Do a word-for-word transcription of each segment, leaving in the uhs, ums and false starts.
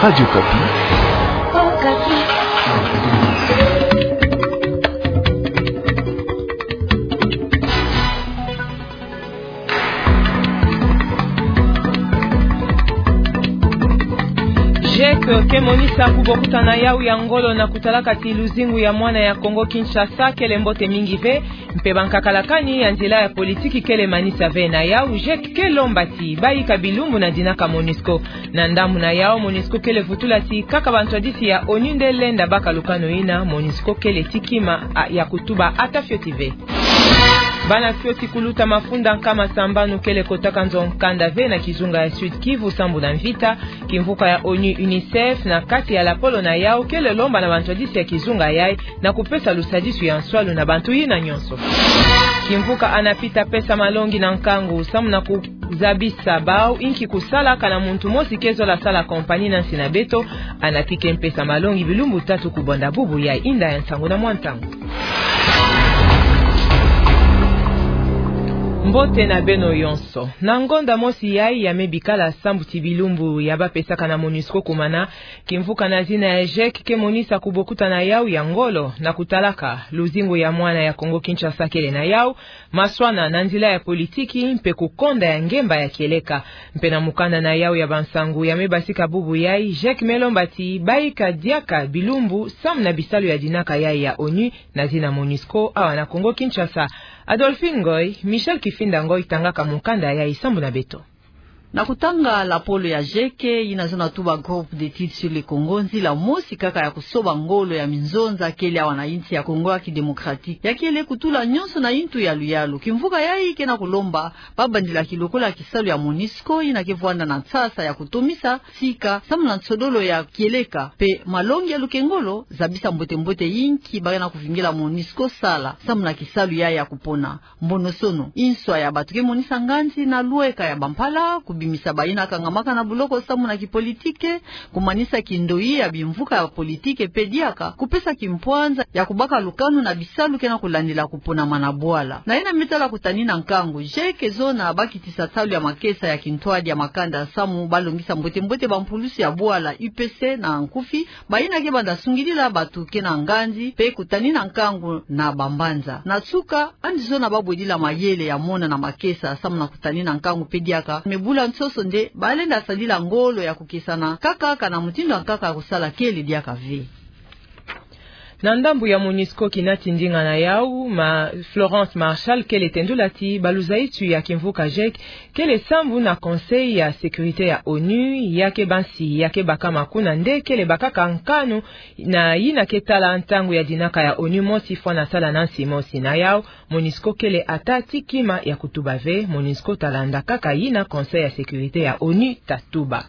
Radio Okapi. JEC ke monisa kubokuta na yawu ya ngolo na kutalaka ti luzingu ya mwana ya Kongo Kinshasa kele mbote mingi ve, mpe bankakalakani ya nzila ya politiki kele manisa ve. Na yawu, JEC ke lomba ti bayika bilumbu na dinaka MONUSCO. Na ndambu na yawu, MONUSCO kele vutula ti kaka bantwadisi ya ONU nde lenda baka lukanu yina, MONUSCO kele ti kima, a, ya kutuba ata fioti ve. Bana fioti kuluta mafunda nkama sambanu kele kotaka nzo nkanda ve na kizunga ya Sud-Kivu sambu na mvita. Kimvuka ya ONU UNICEF, na kati ya lapolo na yawu, kele lomba na bantwadisi ya kizunga yayi na kupesa lusadisu ya nswalu na bantu yina nyonso. Kimvuka ANAPI ta pesa malongi na nkangu samu na kuzabisa bawu inki kusala kana muntu mosi ke zola sala kompani na nsi na beto. ANAPI ke mpesa malongi bilumbu tatu kubonda bubu yayi. Inda ya nsangu na mwa ntangu. Mbote na beno yonso. Na ngonda mosi yayi ya me bikala sambu ti bilumbu ya bapesaka na MONUSCO kumana, kimvuka na zina ya JEC ke monisa kubokuta na yawu ya ngolo na kutalaka luzingu ya mwana ya Kongo Kinshasa kele na yawu, maswana na nzila ya politiki mpe kukonda ya ngemba ya kieleka. Mpe na mukanda na yawu ya bansangu ya me basika bubu yayi, JEC me lomba ti bayika diaka bilumbu samu na bisalu ya dinaka yayi ya ONU na zina MONUSCO awa na Kongo Kinshasa. Adolphine Ngoy, Michel Kifinda Ngoy tangaka mukanda yayi sambu na beto. Na kutanga lapolo ya JEC, yina zona tuba Groupe d'études sur le Congo, nzila mosi kaka ya kusoba ngolo ya minzonza kele awa na insi ya Kongo ya Kidemokratiki, ya kele kutula nyonso na intu ya luyalu. Kimvuka yayi ke na kulomba babandilaki lokola kisalu ya MONUSCO, yina ke vwanda na nsasa ya kutomisa sika samu na nsodolo ya kieleka mpe malongi ya lukengolo, zabisa mbote-mbote inki ba ke na kuvingila MONUSCO sala samu na kisalu yayi ya kupona. Mbonosono, inswa ya bato ke monisa nganzi na lweka ya bampala, kubimisa bayina kangamaka na buloko samu na kipolitike, kumanisa kindoyi ya bimvuka ya politike mpe diaka kupesa kimpwanza ya kubaka lukanu na bisalu ke na kulandila kuponama na bwala. Na yina me tala kutanina nkangu, JEC ke zona bakitisa nsalu ya makesa ya kintwadi ya makanda samu balongisa mbote-mbote bampulusi ya bwala, U P C na nkufi, bayina ke banda sungidila bato ke na nganzi mpe kutanina nkangu na bambanza. Na nsuka, yandi zona babwedila mayele ya mona na makesa samu na kutanina nkangu mpe diaka me bula nsoso nde balenda sadila ngolo ya kukesana kaka kana mutindu ya nkaka ya kusala kele diaka ve. Na ndambu ya MONUSCO, kina ti ndinga na yawu, ma Florence Marshall kele tendula ti baluzaitu ya kimvuka JEC kele sambu na Conseil ya Sécurité ya ONU, ya ke bansi ya ke bakama kuna nde kele bakaka nkanu na yina ke tala ntangu ya dinaka ya ONU mosi fwana sala na nsi mosi. Na yawu, MONUSCO kele ata ti kima ya kutuba ve. MONUSCO ta landa kaka yina Conseil ya Sécurité ya ONU ta tuba.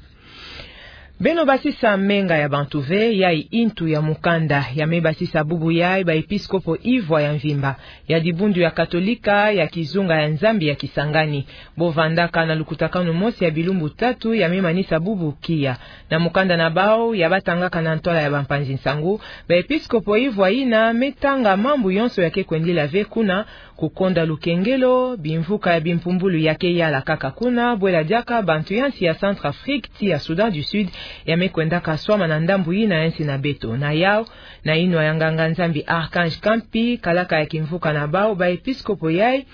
Beno basisa menga ya bantu ve, yayi intu ya mukanda ya me basisa bubu yayi baepiskopo ivwa ya mvimba ya dibundu ya Katolika ya kizunga ya Nzambi ya Kisangani. Bo vandaka na lukutakanu mosi ya bilumbu tatu ya me manisa bubu kiya. Na mukanda na bawu ya batangaka na ntwala ya bampanzi nsangu, baepiskopo ivwa yina me tanga mambu yonso ya ke kwendila ve kuna, kukonda lukengelo, bimvuka ya bimpumbulu ya ke yala kaka kuna, bwela diaka bantu ya nsi ya Centrafrique ti ya Soudan du Sud ya me kwendaka swama na ndambu yina ya nsi na beto. Na yawu, na yinwa ya nganga-Nzambi Archange Kampi, kalaka ya kimvuka na bawu baepiskopo yayi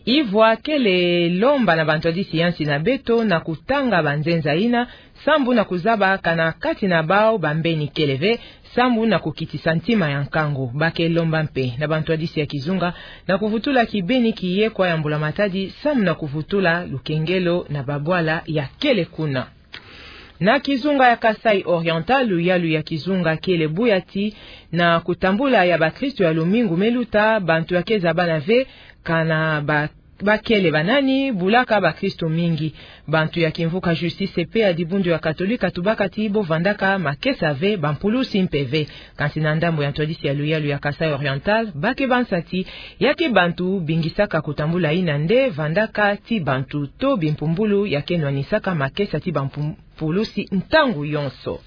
ivwa kele lomba na bantwadisi ya nsi na beto na kutanga banzenza yina, sambu na kuzaba kana kati na bawu bambeni kele ve, sambu na kukitisa ntima ya nkangu. Ba ke lomba mpe na bantwadisi ya kizunga na kuvutula kibeni kiye kwa ya mbula-matadi, sambu na kuvutula lukengelo na babwala ya kele kuna. Na kizunga ya Kasaï Oriental, luyalu ya kizunga kele buyati na kutambula ya bakristu ya lumingu me luta, bantu ya ke zabana ve kana ba, ba kele banani bulaka bakristu mingi. Bantu ya kimvuka Justice et Paix ya dibundu ya Katolika tubaka ti bo vandaka makesa ve, bampulusi mpe ve. Kansi na ndambu ya ntwadisi ya luyalu ya Kasaï Oriental, ba ke bansa ti ya ke bantu bingisaka kutambula yina nde vandaka ti bantu to bimpumbulu ya ke nwanisaka makesa ti bampum-, pulusi ntangu yonso.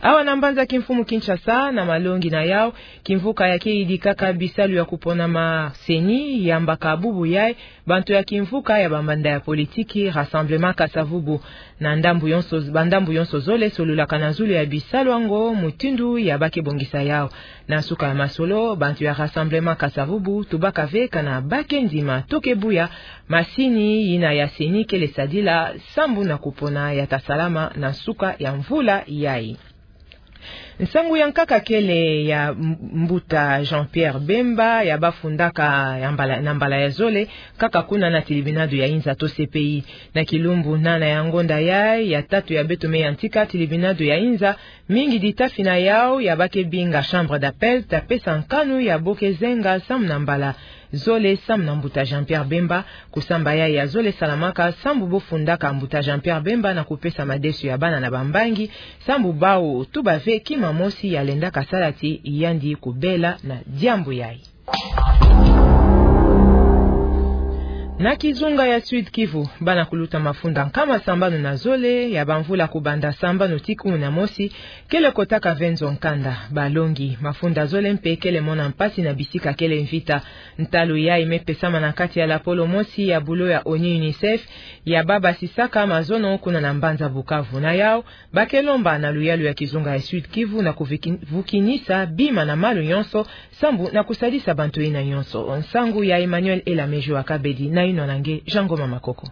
Awa na mbanza kimfumu Kinshasa, na malongi na yau, kimvuka ya ke yidikaka bisalu ya kupona ma CENI, yambaka bubu yai bantu ya kimvuka ya bamanda ya politiki Rassemblement Kasa-Vubu. Na ndambu yonso, bandambu yonso zole solulaka na zulu ya bisalu yango, mutindu ya ba ke bongisa yau. Na nsuka ya masolo, bantu ya Rassemblement Kasa-Vubu tubaka ve kana ba ke ndima to ke buya masini yina ya CENI kele sadila sambu na kupona ya ta salama na nsuka ya mvula yai. Nsangu ya nkaka kele ya m-, mbuta Jean-Pierre Bemba ya ba fundaka ya mbala, na mbala ya zole, kaka kuna na tilibinado ya inza to CPI. Na kilumbu nana ya ngonda yai, ya tatu ya beto me yantika, tilibinado ya inza, mingi ditafi na yau ya ba ke binga chambre d'appel ta pesa nkanu ya bo ke zenga sambu na mbala zole sambu na mbuta Jean-Pierre Bemba. Kusamba yai ya zole salamaka sambu bo fundaka mbuta Jean-Pierre Bemba na kupesa madesu ya bana na bambangi, sambu bau tuba ve kima mosi ya lendaka sala ti yandi kubela na diambu yai. Na kizunga ya Sud-Kivu, bana kuluta mafunda nkama sambanu na zole ya bamvula kubanda sambanu ti kumi na mosi kele kotaka ve nzo-nkanda. Balongi mafunda zole mpe kele mona mpasi na bisika kele mvita. Ntalu yai me pesama na kati ya lapolo mosi ya bulo ya ONU, UNICEF, ya ba basisaka mazono kuna na mbanza Bukavu. Na yau, ba ke lomba na luyalu ya kizunga ya Sud-Kivu na kuviki-, vukinisa bima na malu yonso, sambu na kusadisa bantu yina yonso. Nsangu ya Emmanuel Elamejo Akabedi na yinwa na nge Jean Ngoma Makoko.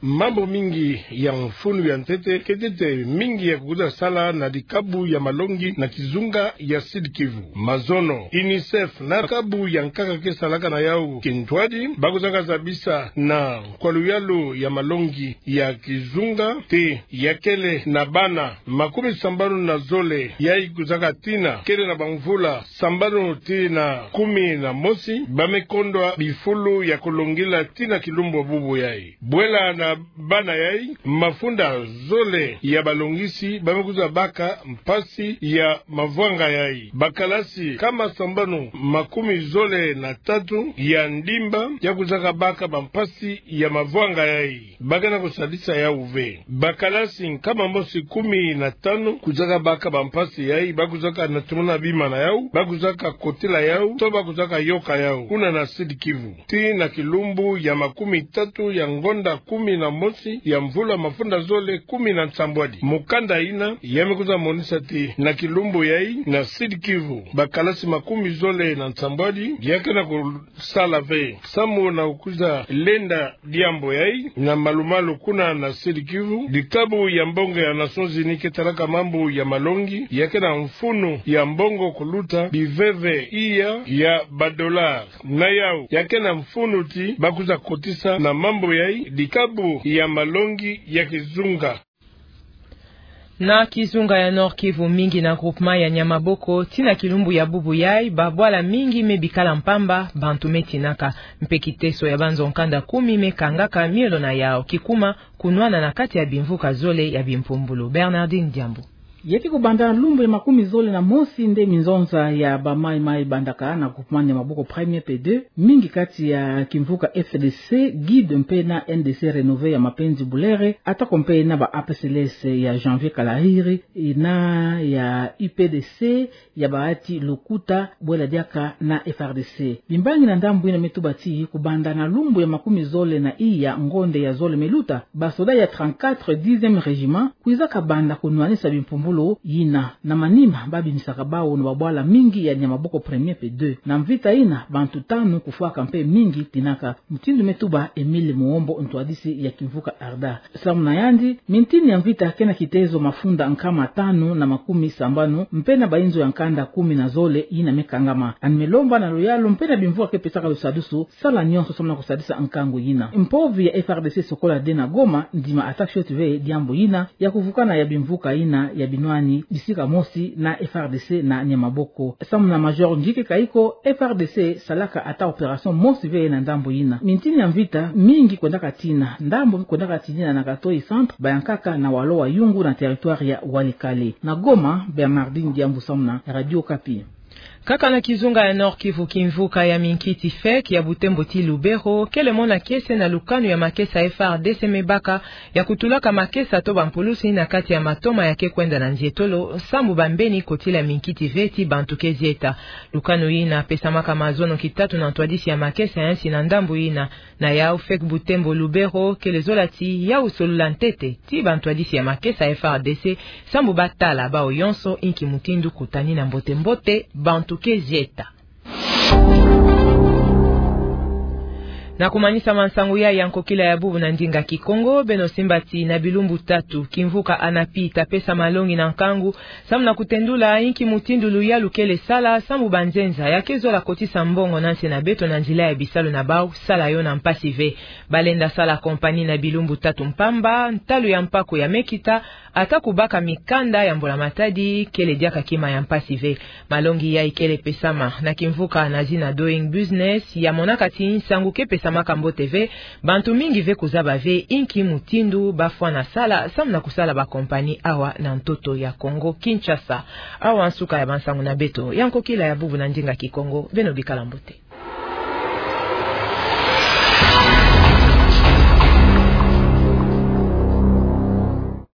Mambu mingi ya mfunu ya ntete, ketete mingi ya kukuta sala na dikabu ya malongi na kizunga ya Sud-Kivu. Mazono, UNICEF na kabu ya nkaka ke salaka na yau kintwadi, ba kuzaka zabisa na kwa luyalu ya malongi ya kizunga ti ya kele na bana makumi sambanu na zole yai kuzaka tina kele na bamvula sambanu tii na kumi na mosi, ba me kondwa bifulu ya kulongila tii na kilumbu bubu yai. Bwela na bana yai, mafunda zole ya balongisi ba me kwiza baka mpasi ya mavwanga yai. Bakalasi nkama sambanu makumi zole na tatu ya ndimba ya kwizaka baka bampasi ya mavwanga yai. Ba ke na kusadisa yau ve. Bakalasi nkama mosi kumi na tanu kwizaka baka bampasi yai, ba kwizaka na tumona bima na yau, ba kwizaka kotila yau, to ba kwizaka yoka yau, kuna na Sud-Kivu. Tii na kilumbu ya makumi tatu ya ngonda kumi na mosi ya mvula mafunda zole kumi na nsambwadi. Mukanda yina ya me kwiza monisa ti na kilumbu yai na Sud-Kivu, bakalasi makumi zole na nsambwadi ya ke na ku- sala ve sambu na kwiza lenda diambu yai, na malu-malu kuna na Sud-Kivu. Dikabu ya mbongo ya Nations Unies ke talaka mambu ya malongi ya ke na mfunu ya mbongo kuluta biveve iya ya badollar. Na yau ya ke na mfunu ti ba kwiza kotisa na mambu yai dikabu ya malongi ya kizunga. Na kizunga ya Nord-Kivu, mingi na groupement ya Nyamaboko, tii na kilumbu ya bubu yai, babwala mingi me bikala mpamba, bantu me tinaka. Mpe kiteso ya banzo-nkanda kumi me kangaka miolo na yau, kikuma kunwana na kati ya bimvuka zole ya bimpumbulu. Bernardine Diambu. Ya ke kubanda lumbu ya makumi zole na mosi nde minzonza ya ba maï-maï bandaka na groupement Nyamaboko premier pe deux, mingi kati ya kimvuka F D C, GID mpe na N D C Renové ya Mapenzi Bulere, atako mpe na ba A P C L S ya Janvier Kalahiri, na ya U P D C ya Bahati Lukuta, bwela diaka na F R D C. Bimbangi na ndambu yina me tuba ti kubanda na lumbu ya makumi zole na iya ngonda ya zole me luta, basoda ya trente-quatre dixième régiment kwizaka banda kunwanisa bimpumbulu yina. Na manima, ba bimisaka bau na babwala mingi ya Nyamaboko premier pe deux. Na mvita yina, bantu tanu kufwaka mpe mingi tinaka, mutindu me tuba Emile Muombo, ntwadisi ya kimvuka ARDA. Samu na yandi, mintini ya mvita ke na kitezo mafunda nkama tanu na makumi sambanu, mpe na bayinzo ya nkanda kumi na zole yina me kangama. Yandi me lomba na luyalu mpe na bimvuka ke pesaka lusadusu, sala nyonso samu na kusadisa nkangu yina. Mpovi ya F R D C sokola de na Goma, ndima attaque chaude ve diambu yina ya kuvukana ya bimvuka yina ya binwani bisika mosi na F R D C na Nyamaboko. Samu na Major Njike Kayiko, F R D C salaka ata opération mosi ve na ndambu yina. Mintini ya mvita mingi kwendaka tina, ndambu kwendaka tinina na Katoyi Centre, bayankaka na Walo-Wayungu na territoire ya Walikale. Na Goma, Bernardine Diambu samu na Radio Okapi. Kaka na kizunga ya Nord-Kivu, kimvuka ya minkiti FEC ya Butembo ti Lubero kele mona kiese na lukanu ya makesa F A R D C me baka ya kutulaka makesa to bampulusi na kati ya matoma ya ke kwenda na nzietolo, sambu bambeni kotila minkiti ve ti bantu ke zieta. Lukanu yina pesamaka mazono kitatu na ntwadisi ya makesa ya nsi na ndambu yina. Na yau, FEC Butembo Lubero kele zola ti ya usolula ntete ti bantwadisi ya makesa F A R D C, sambu batala bawu yonso inki mutindu kutani na mbote-mbote bantu ke zieta. Na kumanisa mansangu ya, ya nkokila ya bubu na ndinga Kikongo, beno simba ti na bilumbu tatu, kimvuka ANAPI ta pesa malongi na nkangu, sambu na kutendula inki mutindu luyalu kele sala, sambu banzenza ya ke zola kotisa mbongo na nse na beto na nzila ya bisalu na bawu sala yo na mpasi ve. Balenda sala kompani na bilumbu tatu mpamba, ntalu ya mpaku ya mekita, ata kubaka mikanda ya mbula-matadi kele diaka kima ya mpasi ve. Malongi yai kele pesama na kimvuka na zina Doing Business, ya monaka ti nsangu ke pesamaka mbote ve, bantu mingi ve kuzaba ve inki mutindu bafwana sala, sambu na kusala bakompani awa na ntoto ya Kongo Kinshasa. Awa nsuka ya bansangu na beto ya nkokila ya bubu na ndinga Kikongo, beno bikala mbote.